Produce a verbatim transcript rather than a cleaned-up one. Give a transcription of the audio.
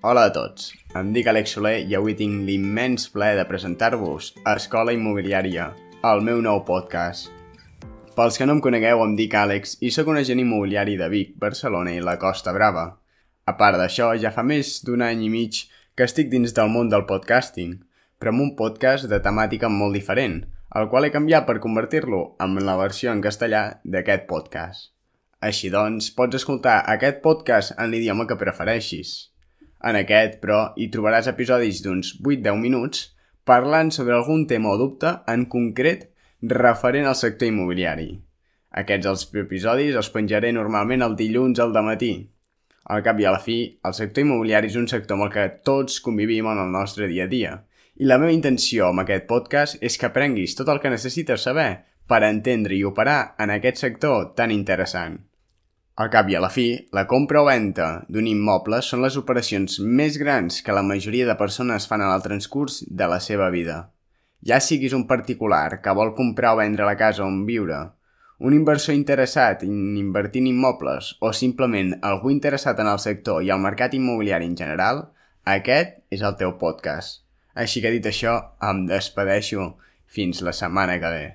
Hola a tots, em dic Àlex Soler i avui tinc l'immens plaer de presentar-vos a Escola Immobiliària, el meu nou podcast. Pels que no em conegueu, em dic Àlex i sóc un agent immobiliari de Vic, Barcelona i la Costa Brava. A part d'això, ja fa més d'un any i mig que estic dins del món del podcasting, però amb un podcast de temàtica molt diferent, el qual he canviat per convertir-lo en la versió en castellà d'aquest podcast. Així doncs, pots escoltar aquest podcast en l'idioma que prefereixis. En aquest, però, hi trobaràs episodis d'uns vuit a deu minuts parlant sobre algun tema o dubte en concret referent al sector immobiliari. Aquests els episodis els penjaré normalment el dilluns al dematí. Al cap i a la fi, el sector immobiliari és un sector amb el que tots convivim en el nostre dia a dia. I la meva intenció amb aquest podcast és que aprenguis tot el que necessites saber per entendre i operar en aquest sector tan interessant. Al cap i a la fi, la compra o venda d'un immoble són les operacions més grans que la majoria de persones fan en el transcurs de la seva vida. Ja siguis un particular que vol comprar o vendre la casa on viure, un inversor interessat en invertir en immobles o simplement algú interessat en el sector i el mercat immobiliari en general, aquest és el teu podcast. Així que dit això, em despedeixo fins la setmana que ve.